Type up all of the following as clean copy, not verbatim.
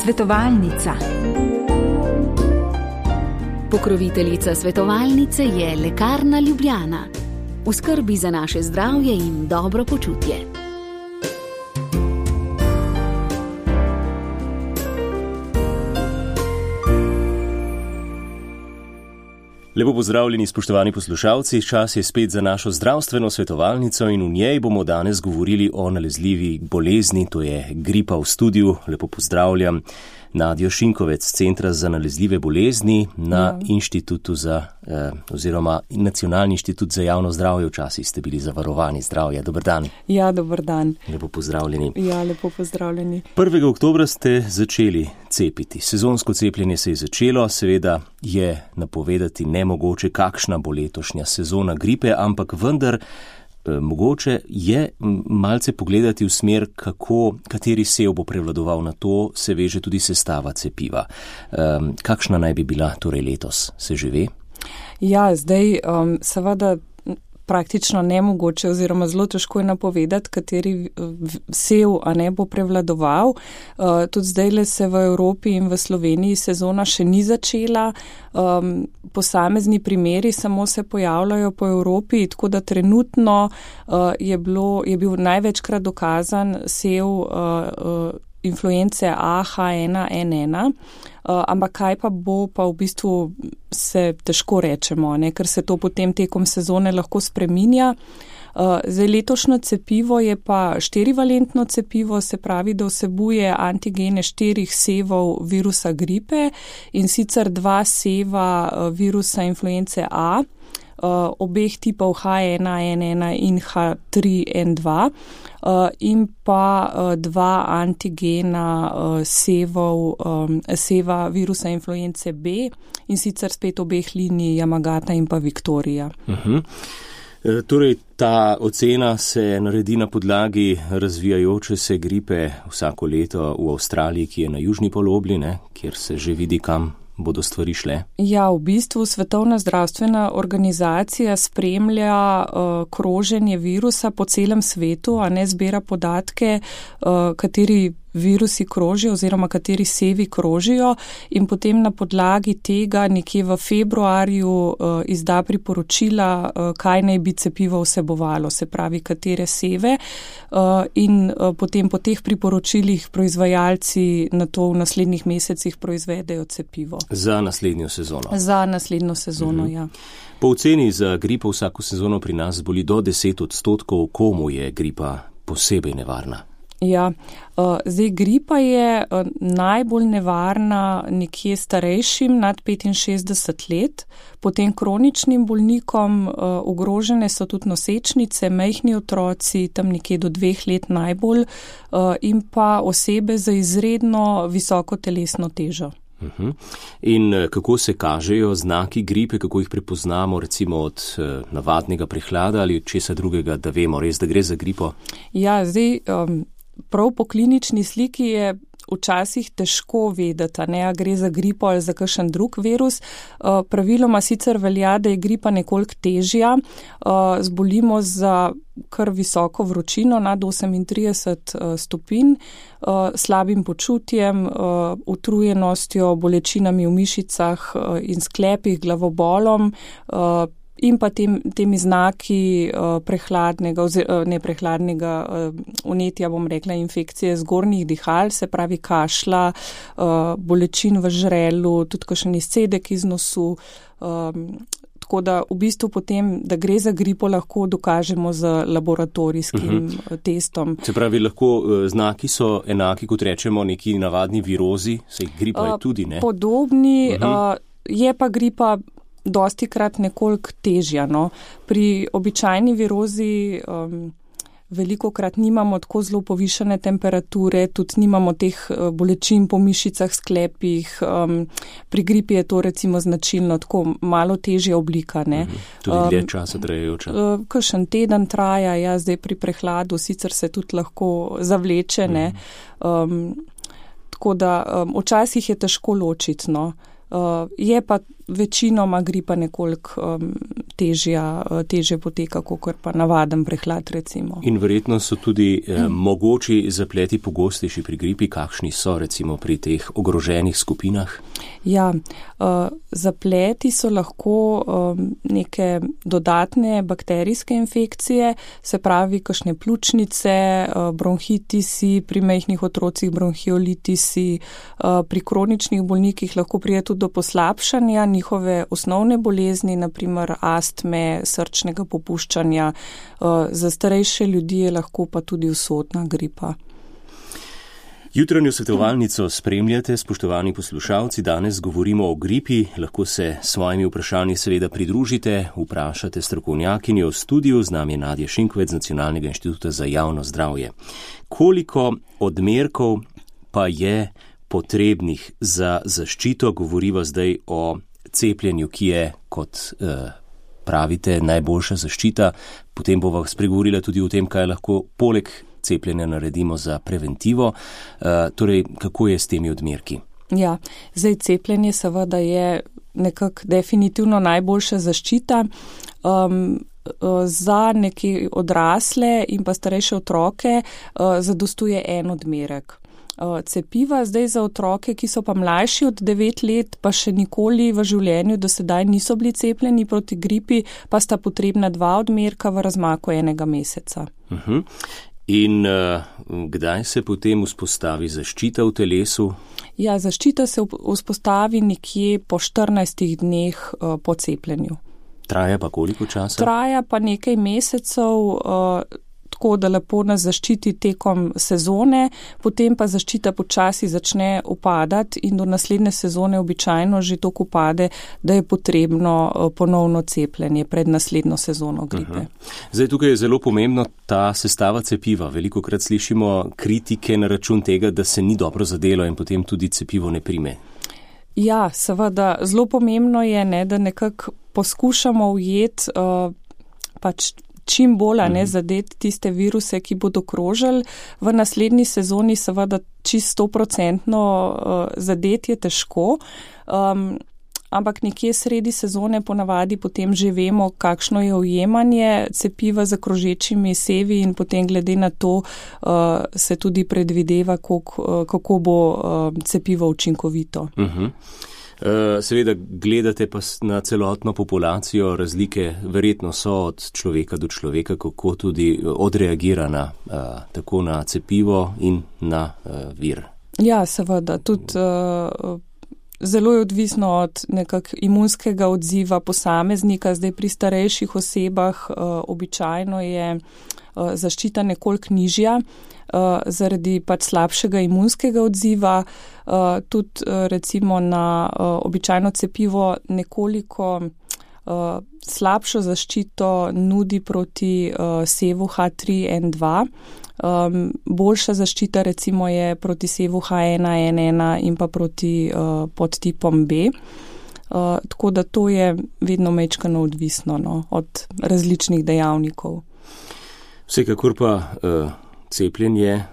Svetovalnica. Pokroviteljica svetovalnice je Lekarna Ljubljana. V skrbi za naše zdravje in dobro počutje. Lepo pozdravljeni, spoštovani poslušalci. Čas je spet za našo zdravstveno svetovalnico in v njej bomo danes govorili o nalezljivi bolezni, to je gripa. V studiu lepo pozdravljam Nadjo Šinkovec, Centra za nalezljive bolezni na Inštitutu oziroma Nacionalni inštitut za javno zdravje. Včasih ste bili zavarovani zdravja. Dober dan. Ja, dober dan. Lepo pozdravljeni. Ja, lepo pozdravljeni. 1. oktobra ste začeli cepiti. Sezonsko cepljenje se je začelo, seveda je napovedati nemogoče, kakšna bo letošnja sezona gripe, ampak vendar mogoče je malce pogledati v smer, kateri sev bo prevladoval, na to se veže tudi sestava cepiva. Kakšna naj bi bila torej letos, se že ve? Ja, zdaj seveda praktično nemogoče oziroma zelo težko je napovedati, kateri sev bo prevladoval. Tudi zdajle se v Evropi in v Sloveniji sezona še ni začela. Posamezni primeri samo se pojavljajo po Evropi, tako da trenutno je bil največkrat dokazan sev influence H1N1, ampak kaj pa bo, pa v bistvu se težko rečemo, ker se to potem tekom sezone lahko spreminja. Zdaj letošnjo cepivo je pa 4-valentno cepivo, se pravi, da vsebuje antigene 4 sevov virusa gripe in sicer 2 seva virusa influence A, obeh tipov H1N1 in H3N2 in pa 2 antigena seva virusa influence B in sicer spet obeh linij Yamagata in pa Victoria. Torej, ta ocena se naredi na podlagi razvijajoče se gripe vsako leto v Avstraliji, ki je na južni polobli, kjer se že vidi, kam bodo stvari šle? Ja, v bistvu Svetovna zdravstvena organizacija spremlja kroženje virusa po celem svetu, zbira podatke, kateri virusi krožijo oziroma kateri sevi krožijo in potem na podlagi tega nekje v februarju izda priporočila, kaj naj bi cepivo vsebovalo, se pravi, katere seve in potem po teh priporočilih proizvajalci na to v naslednjih mesecih proizvedejo cepivo. Za naslednjo sezono? Za naslednjo sezono, ja. Po oceni za gripo vsako sezono pri nas boli do 10%, komu je gripa posebej nevarna? Ja, zdaj gripa je najbolj nevarna nekje starejšim nad 65 let, potem kroničnim bolnikom ogrožene so tudi nosečnice, majhni otroci, tam nekje do 2 let najbolj in pa osebe za izredno visoko telesno težo. In kako se kažejo znaki gripe, kako jih prepoznamo recimo od navadnega prehlada ali od česa drugega, da vemo res, da gre za gripo? Ja, zdaj prav po klinični sliki je včasih težko vedeti, a gre za gripo ali za kakšen drug virus. Praviloma sicer velja, da je gripa nekoliko težja, zbolimo za kar visoko vročino nad 38 stopinj, slabim počutjem, utrujenostjo, bolečinami v mišicah in sklepih, glavobolom, in pa temi znaki vnetja, bom rekla, infekcije zgornjih dihal, se pravi kašla, bolečin v žrelu, tudi kakšen izcedek iz nosu, tako da v bistvu potem, da gre za gripo, lahko dokažemo z laboratorijskim testom. Se pravi, lahko znaki so enaki, kot rečemo, neki navadni virozi, saj gripa je tudi, ne? Podobni, je pa gripa dostikrat nekoliko težja. Pri običajni virozi velikokrat nimamo tako zelo povišene temperature, tudi nimamo teh bolečin po mišicah, sklepih. Pri gripi je to recimo značilno, tako malo težja oblika. Tudi dlje časa trajajoča. Kakšen teden traja, ja, zdaj pri prehladu sicer se tudi lahko zavleče. Tako da včasih je težko ločiti. Je pa večinoma gripa nekoliko težje poteka, kot pa navaden prehlad recimo. In verjetno so tudi mogoči zapleti pogostejši pri gripi, kakšni so recimo pri teh ogroženih skupinah? Ja, zapleti so lahko neke dodatne bakterijske infekcije, se pravi kakšne pljučnice, bronhitisi, pri majhnih otrocih bronhiolitisi, pri kroničnih bolnikih lahko pride tudi do poslabšanja njihove osnovne bolezni, naprimer astme, srčnega popuščanja, za starejše ljudi je lahko pa tudi usodna gripa. Jutranjo svetovalnico spremljate, spoštovani poslušalci, danes govorimo o gripi, lahko se s svojimi vprašanji seveda pridružite, vprašate strokovnjakinjo v studiu, z nami je Nadja Šinkovec z Nacionalnega inštituta za javno zdravje. Koliko odmerkov pa je potrebnih za zaščito? Govoriva zdaj o cepljenju, ki je, kot pravite, najboljša zaščita. Potem bova spregovorila tudi o tem, kaj lahko poleg cepljenja naredimo za preventivo. Torej, kako je s temi odmerki? Ja, zdaj cepljenje seveda je nekako definitivno najboljša zaščita. Za neke odrasle in pa starejše otroke zadostuje en odmerek. Cepiva zdaj za otroke, ki so pa mlajši od 9 let, pa še nikoli v življenju do sedaj niso bili cepljeni proti gripi, pa sta potrebna 2 odmerka v razmaku 1 meseca. In kdaj se potem vzpostavi zaščita v telesu? Ja, zaščita se vzpostavi nekje po 14 dneh po cepljenju. Traja pa koliko časa? Traja pa nekaj mesecev, tako da lepo nas zaščiti tekom sezone, potem pa zaščita počasi začne upadati in do naslednje sezone običajno že toliko upade, da je potrebno ponovno cepljenje pred naslednjo sezono gripe. Zdaj tukaj je zelo pomembno ta sestava cepiva. Velikokrat slišimo kritike na račun tega, da se ni dobro zadelo in potem tudi cepivo ne prime. Ja, seveda, zelo pomembno je, da nekako poskušamo ujeti čim bolj zadeti tiste viruse, ki bodo krožili. V naslednji sezoni seveda čisto 100% zadeti je težko, ampak nekje sredi sezone ponavadi potem že vemo, kakšno je ujemanje cepiva za krožečimi sevi in potem glede na to se tudi predvideva, kako bo cepivo učinkovito. Seveda gledate pa na celotno populacijo, razlike verjetno so od človeka do človeka, kako tudi odreagira tako na cepivo in na vir. Ja, seveda, tudi zelo je odvisno od imunskega odziva posameznika. Zdaj pri starejših osebah običajno je zaščita nekoliko nižja, zaradi slabšega imunskega odziva, tudi recimo na običajno cepivo nekoliko slabšo zaščito nudi proti sevu H3N2. Boljša zaščita recimo je proti sevu H1N1 in pa proti podtipom B. Tako da to je vedno majčkeno odvisno od različnih dejavnikov. Vsekakor pa cepljenje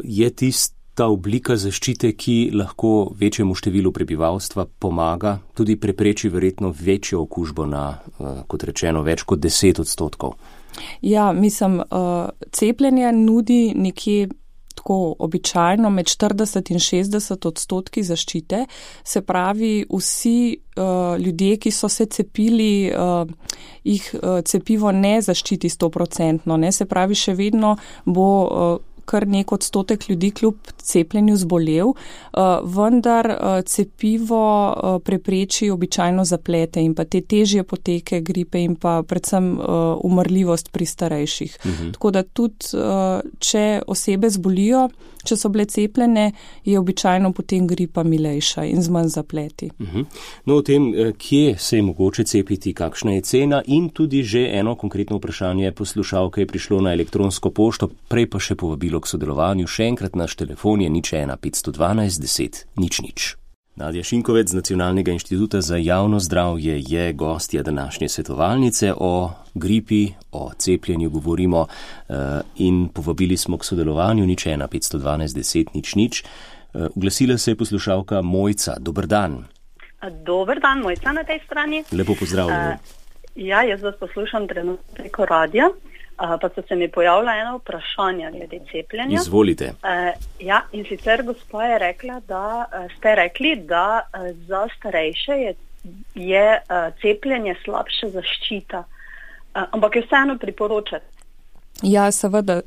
je tista oblika zaščite, ki lahko večjemu številu prebivalstva pomaga, tudi prepreči verjetno večjo okužbo na, kot rečeno, več kot 10%. Ja, mislim, cepljenje nudi nekje tako običajno med 40 in 60% zaščite, se pravi vsi ljudje, ki so se cepili, jih cepivo ne zaščiti 100%, se pravi še vedno bo kar nek odstotek ljudi kljub cepljenju zbolel, vendar cepivo prepreči običajno zaplete in pa te težje poteke gripe in pa predvsem umrljivost pri starejših. Tako da tudi, če osebe zbolijo, če so bile cepljene, je običajno potem gripa milejša in z manj zapleti. No, o tem, kje se je mogoče cepiti, kakšna je cena in tudi že eno konkretno vprašanje poslušalke je prišlo na elektronsko pošto, prej pa še povabilo k sodelovanju. Še enkrat naš telefon je 01 512 10 00. Nadja Šinkovec z Nacionalnega inštituta za javno zdravje je gostja današnje svetovalnice. O gripi, o cepljenju govorimo in povabili smo k sodelovanju 01 512 10 00. Oglasila se je poslušalka Mojca. Dober dan. Dober dan, Mojca na tej strani. Lepo pozdravljeni. Jaz vas poslušam trenutno preko radija, pa so se mi pojavila ena vprašanja glede cepljenja. Izvolite. In sicer gospa je rekla, da ste rekli, da za starejše je cepljenje slabša zaščita, ampak jo vseeno priporočate. Ja, seveda,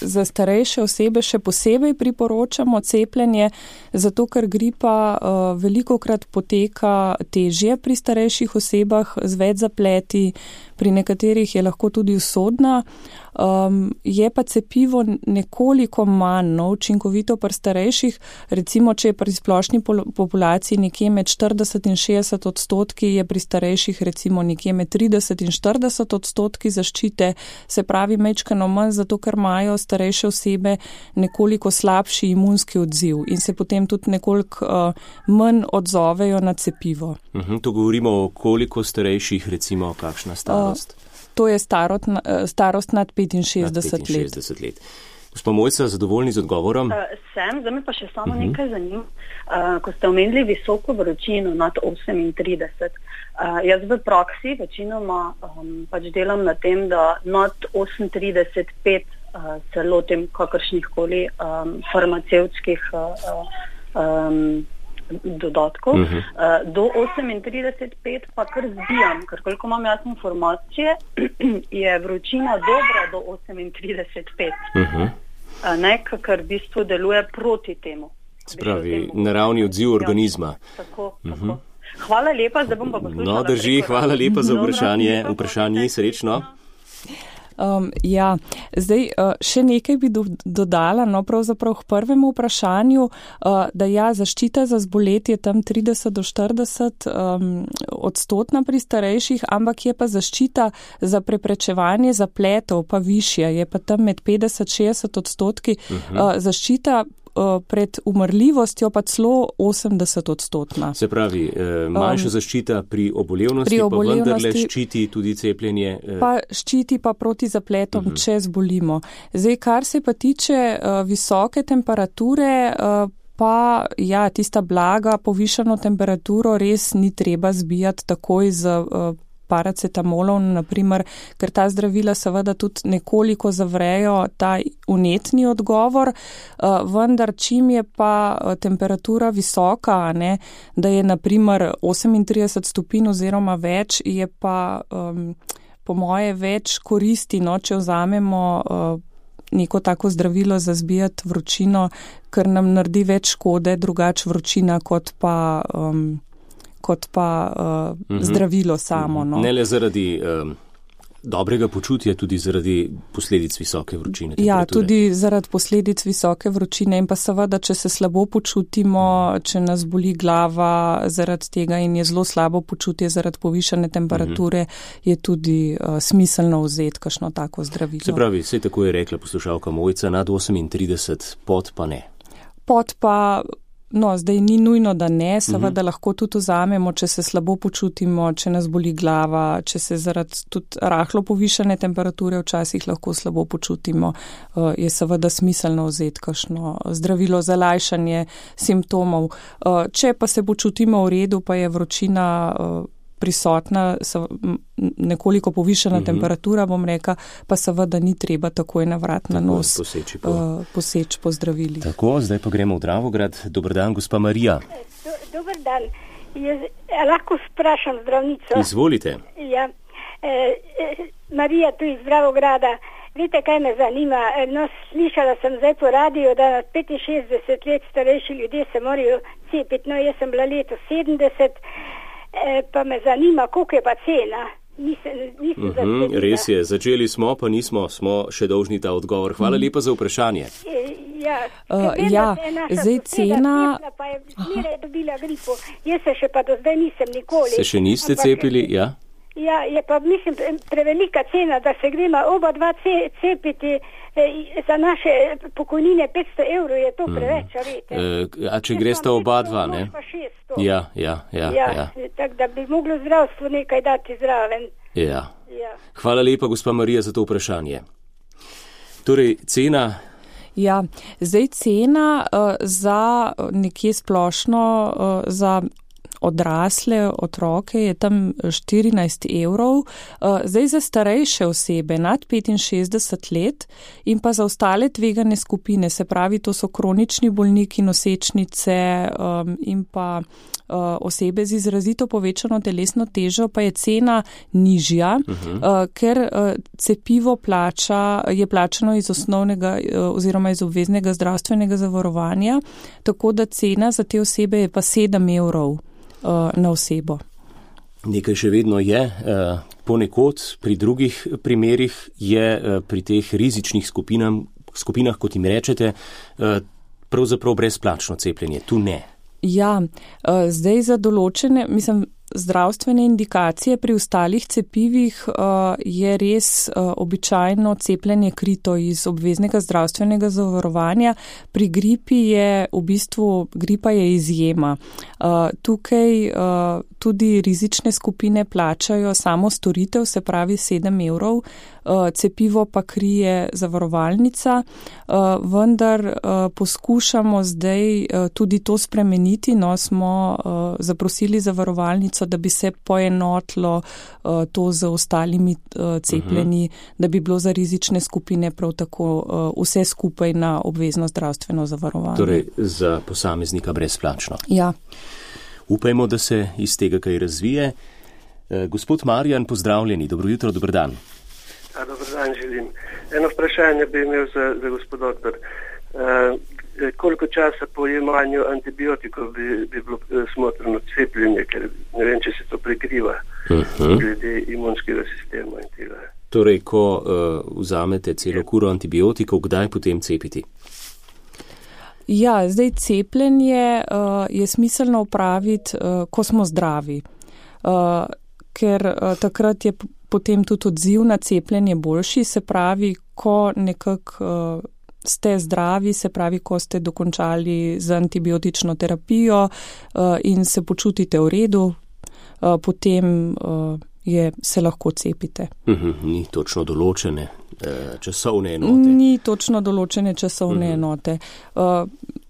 za starejše osebe še posebej priporočamo cepljenje, zato ker gripa velikokrat poteka težje pri starejših osebah z več zapleti, pri nekaterih je lahko tudi usodna. Je pa cepivo nekoliko manj učinkovito pri starejših, recimo, če je pri splošni populaciji nekje med 40 in 60 odstotki, je pri starejših recimo nekje med 30 in 40 odstotki zaščite, se pravi mečkano manj, zato ker imajo starejše osebe nekoliko slabši imunski odziv in se potem tudi nekoliko manj odzovejo na cepivo. To govorimo o koliko starejših, recimo kakšna starost? To je starost nad 65 let. Gospa Mojca, zadovoljni z odgovorom? Zdaj me pa še samo nekaj zanima. Ko ste omenili visoko vročino nad 38, jaz v praksi večinoma pač delam na tem, da nad 38,5 se lotim kakršnihkoli farmacevtskih dodatkov. Do 38,5 pa kar zbijam, ker koliko imam jaz informacije, je vročina dobra do 38,5. Ker v bistvu deluje proti temu. Spravi, naravni odziv organizma. Tako. Hvala lepa, zdaj bom pa poslušala. Drži, hvala lepa za vprašanje, srečno. Še nekaj bi dodala, pravzaprav k prvemu vprašanju, da zaščita za zboletje je tam 30 do 40 odstotna pri starejših, ampak je pa zaščita za preprečevanje zapletov pa višja, je pa tam med 50-60 odstotki, zaščita pred umrljivostjo pa celo 80 odstotna. Se pravi, manjša zaščita pri obolevnosti, pa vendarle ščiti tudi cepljenje. Pa ščiti pa proti zapletom, če zbolimo. Zdaj, kar se pa tiče visoke temperature, pa tista blaga povišano temperaturo res ni treba zbijati takoj z paracetamolov, naprimer, ker ta zdravila seveda tudi nekoliko zavrejo ta vnetni odgovor, vendar čim je pa temperatura visoka, da je naprimer 38 stopinj oziroma več, je pa po moje več koristi, če vzamemo neko tako zdravilo za zbijati vročino, ker nam naredi več škode, drugače vročina kot pa zdravilo samo. Ne le zaradi dobrega počutja, tudi zaradi posledic visoke vročine. Tudi zaradi posledic visoke vročine in pa seveda, če se slabo počutimo, če nas boli glava zaradi tega in je zelo slabo počutje zaradi povišane temperature, je tudi smiselno vzeti kakšno tako zdravilo. Se pravi, vse tako je rekla poslušalka Mojca, nad 38, pod pa ne. Pod pa zdaj ni nujno, da ne, seveda lahko tudi vzamemo, če se slabo počutimo, če nas boli glava, če se zaradi tudi rahlo povišane temperature včasih lahko slabo počutimo, je seveda smiselno vzeti kakšno zdravilo za lajšanje simptomov. Če pa se počutimo v redu, pa je vročina prisotna, nekoliko povišana temperatura, bom rekla, pa seveda ni treba takoj na vrat na nos poseči po zdravili. Tako, zdaj pa gremo v Dravograd. Dober dan, gospa Marija. Dober dan. Lahko sprašam zdravnico? Izvolite. Marija tu iz Dravograda. Veste, kaj me zanima? Slišala sem zdaj po radiju, da 65 let starejši ljudje se morajo cepiti. Jaz sem bila leto 70, pa me zanima, koliko je pa cena. Res je, začeli smo, pa nismo, smo še dolžni ta odgovor. Hvala lepa za vprašanje. Zdaj cena... Pa je zmeraj dobila gripo. Jaz se še pa do zdaj nisem nikoli. Se še niste cepili, je pa, mislim, prevelika cena, da se gremo oba dva cepiti za naše pokojnine 500 evrov, je to preveč, veste. A če greste oba dva, ne? Ja. Tako da bi moglo zdravstvo nekaj dati zraven. Hvala lepa, gospa Marija, za to vprašanje. Torej, cena... zdaj cena za nekje splošno, za odrasle otroke je tam 14 €, zdaj za starejše osebe nad 65 let in pa za ostale tvegane skupine, se pravi, to so kronični bolniki, nosečnice in pa osebe z izrazito povečano telesno težo, pa je cena nižja, ker cepivo je plačano iz osnovnega oziroma iz obveznega zdravstvenega zavarovanja, tako da cena za te osebe je pa 7 € na osebo. Nekaj še vedno je, ponekod pri drugih primerih je pri teh rizičnih skupinah, kot jim rečete, pravzaprav brezplačno cepljenje. Tu ne. Ja, zdaj za določene, zdravstvene indikacije pri ostalih cepivih je res običajno cepljenje krito iz obveznega zdravstvenega zavarovanja. Pri gripi je gripa je izjema. Tukaj tudi rizične skupine plačajo samo storitev, se pravi 7 €, cepivo pa krije zavarovalnica, vendar poskušamo zdaj tudi to spremeniti, smo zaprosili zavarovalnico, da bi se poenotilo to z ostalimi cepljenji, da bi bilo za rizične skupine prav tako vse skupaj na obvezno zdravstveno zavarovanje. Torej za posameznika brezplačno. Ja. Upajmo, da se iz tega kaj razvije. Gospod Marjan, pozdravljeni, dobro jutro, dober dan. Dobar dan želim. Eno vprašanje bi imel za gospod doktor. Koliko časa po jemanju antibiotikov bi bilo smotrno cepljenje, ker ne vem, če se to prekriva glede imunskega sistema in tega. Torej, ko vzamete celo kuro antibiotikov, kdaj potem cepiti? Ja, zdaj cepljenje je smiselno upraviti, ko smo zdravi, ker takrat je potem tudi odziv na cepljenje boljši, se pravi, ko nekako ste zdravi, se pravi, ko ste dokončali z antibiotično terapijo in se počutite v redu, potem se lahko cepite. Ni točno določene časovne enote. Ni točno določene časovne enote.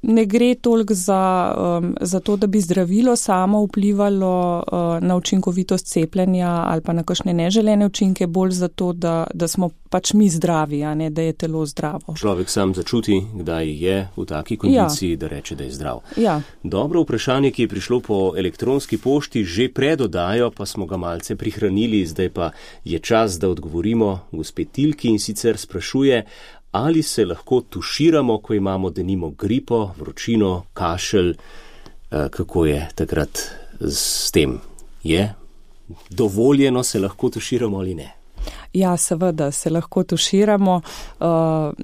Ne gre toliko za to, da bi zdravilo samo vplivalo na učinkovitost cepljenja ali pa na kakšne neželene učinke, bolj za to, da smo pač mi zdravi, a ne da je telo zdravo. Človek sam začuti, kdaj je v taki kondiciji, da reče, da je zdrav. Ja. Dobro vprašanje, ki je prišlo po elektronski pošti, že pred oddajo, pa smo ga malce prihranili, zdaj pa je čas, da odgovorimo gospe Tilki, in sicer sprašuje, ali se lahko tuširamo, ko imamo denimo gripo, vročino, kašelj, kako je takrat s tem? Je dovoljeno, se lahko tuširamo ali ne? Ja, seveda se lahko tuširamo,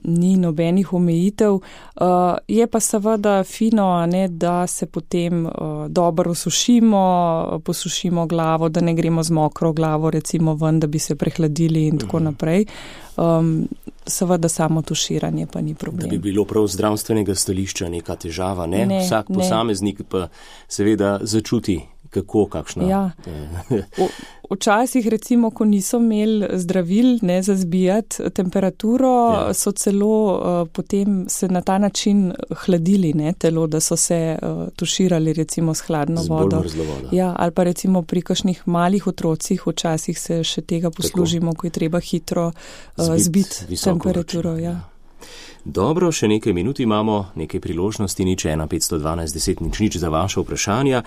ni nobenih omejitev. Je pa seveda fino, da se potem dobro osušimo, posušimo glavo, da ne gremo z mokro glavo recimo ven, da bi se prehladili in tako naprej. Seveda samo tuširanje pa ni problem. Da bi bilo prav zdravstvenega stališča neka težava, ne? Vsak posameznik pa seveda začuti, kakšna. Ja. Včasih recimo, ko niso imeli zdravil za zbijati temperaturo, so celo potem se na ta način hladili telo, da so se tuširali recimo s hladno vodo. Bolj mrzlo vodo. Ja, ali pa recimo pri kakšnih malih otrocih včasih se še tega poslužimo, ko je treba hitro zbiti temperaturo. Ja. Dobro, še nekaj minut imamo, nekaj priložnosti, 01 512 10 00 za vaše vprašanja.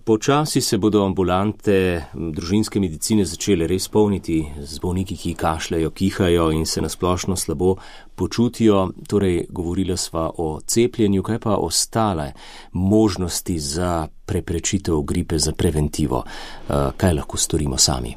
Počasi se bodo ambulante družinske medicine začele res polniti z bolniki, ki kašljajo, kihajo in se nasplošno slabo počutijo. Torej, govorila sva o cepljenju, kaj pa ostale možnosti za preprečitev gripe, za preventivo? Kaj lahko storimo sami?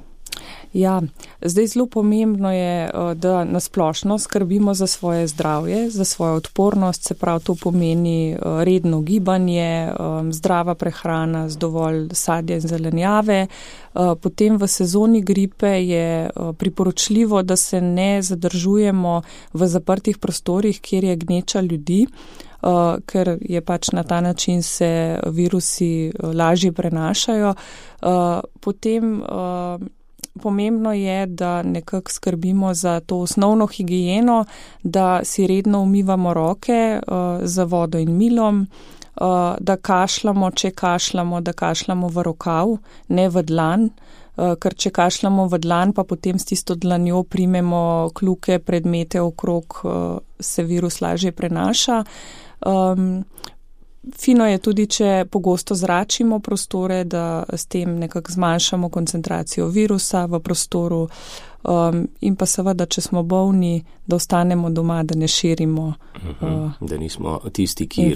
Ja, zdaj zelo pomembno je, da nasplošno skrbimo za svoje zdravje, za svojo odpornost, se pravi, to pomeni redno gibanje, zdrava prehrana z dovolj sadja in zelenjave. Potem v sezoni gripe je priporočljivo, da se ne zadržujemo v zaprtih prostorih, kjer je gneča ljudi, ker je pač na ta način se virusi lažje prenašajo. Potem pomembno je, da nekako skrbimo za to osnovno higieno, da si redno umivamo roke z vodo in milom, da kašljamo, če kašljamo, da kašljamo v rokav, ne v dlan, ker če kašljamo v dlan, pa potem s tisto dlanjo primemo kljuke, predmete okrog, se virus lažje prenaša. Fino je tudi, če pogosto zračimo prostore, da s tem nekako zmanjšamo koncentracijo virusa v prostoru in pa seveda, če smo bolni, da ostanemo doma, da ne širimo da nismo tisti, ki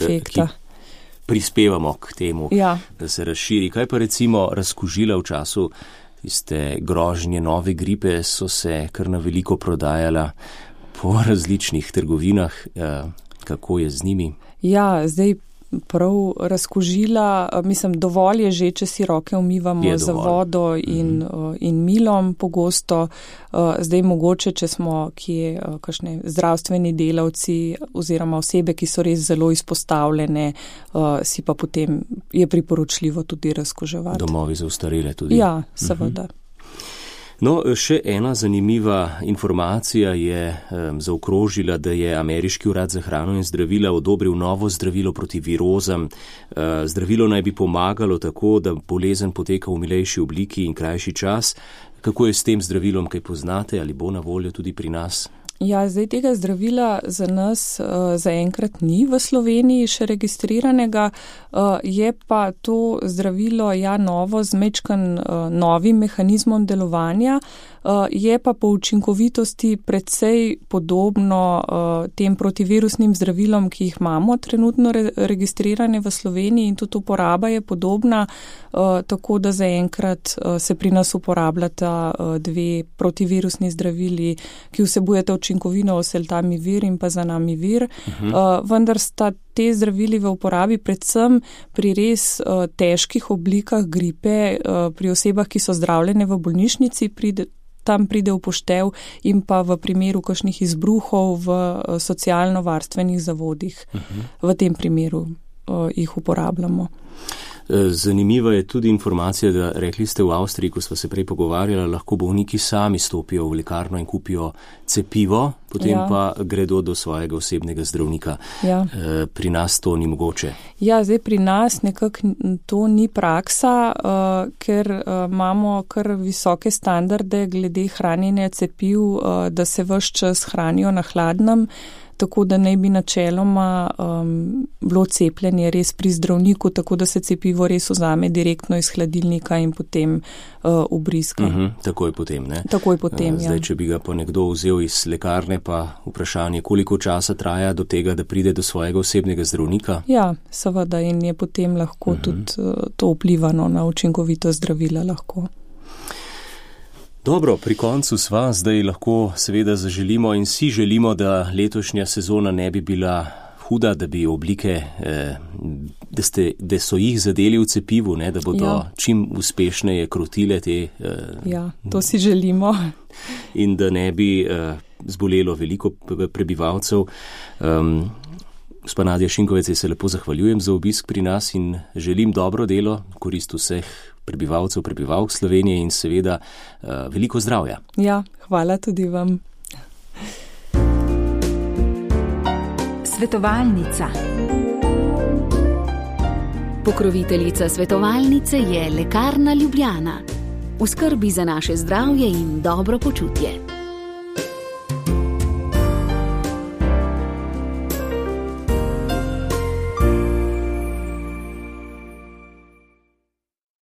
prispevamo k temu, da se razširi. Kaj pa recimo razkužila v času tiste grožnje nove gripe so se kar na veliko prodajala po različnih trgovinah. Kako je z njimi? Ja, zdaj prav razkužila, mislim, dovolj je že, če si roke umivamo z vodo in milom pogosto. Zdaj mogoče, če smo kje kakšne zdravstveni delavci oziroma osebe, ki so res zelo izpostavljene, si pa potem je priporočljivo tudi razkuževati. Domovi za ostarele tudi. Ja, seveda. No, še ena zanimiva informacija je zaokrožila, da je Ameriški urad za hrano in zdravila odobril novo zdravilo proti virozam. Zdravilo naj bi pomagalo tako, da bolezen poteka v milejši obliki in krajši čas. Kako je s tem zdravilom, kaj poznate, ali bo na voljo tudi pri nas? Ja, zdaj tega zdravila za nas zaenkrat ni v Sloveniji še registriranega, je pa to zdravilo novo z mečkan novim mehanizmom delovanja, je pa po učinkovitosti precej podobno tem protivirusnim zdravilom, ki jih imamo trenutno registrirane v Sloveniji in tudi uporaba je podobna, tako da zaenkrat se pri nas uporabljata dve protivirusni zdravili, ki vsebujeta učinkovino oseltamivir in pa zanamivir, vendar sta te zdravili v uporabi predvsem pri res težkih oblikah gripe, pri osebah, ki so zdravljene v bolnišnici, tam pride v poštev in pa v primeru kakšnih izbruhov v socialno-varstvenih zavodih. V tem primeru jih uporabljamo. Zanimiva je tudi informacija, da rekli ste v Avstriji, ko sva se prej pogovarjala, lahko bolniki sami stopijo v lekarno in kupijo cepivo, potem pa gredo do svojega osebnega zdravnika. Pri nas to ni mogoče. Ja, zdaj pri nas nekako to ni praksa, ker imamo kar visoke standarde glede hranjenja cepiv, da se ves čas hranijo na hladnem, tako da naj bi načeloma bilo cepljenje res pri zdravniku, tako da se cepivo res vzame direktno iz hladilnika in potem vbrizga. Takoj potem, ne? Takoj potem, Zdaj, če bi ga pa nekdo vzel iz lekarne, pa vprašanje, koliko časa traja do tega, da pride do svojega osebnega zdravnika? Ja, seveda, in je potem lahko tudi to vplivano na učinkovitost zdravila lahko. Dobro, pri koncu sva, zdaj lahko seveda zaželimo in si želimo, da letošnja sezona ne bi bila huda, da bi oblike, da so jih zadeli v cepivu, ne, da bodo čim uspešneje krotile te. To si želimo. In da ne bi zbolelo veliko prebivalcev. Gospa Nadja Šinkovec, se lepo zahvaljujem za obisk pri nas in želim dobro delo, korist vseh prebivalcev, prebivalk Slovenije in seveda veliko zdravja. Ja, hvala tudi vam. Svetovalnica. Pokroviteljica svetovalnice je Lekarna Ljubljana. V skrbi za naše zdravje in dobro počutje.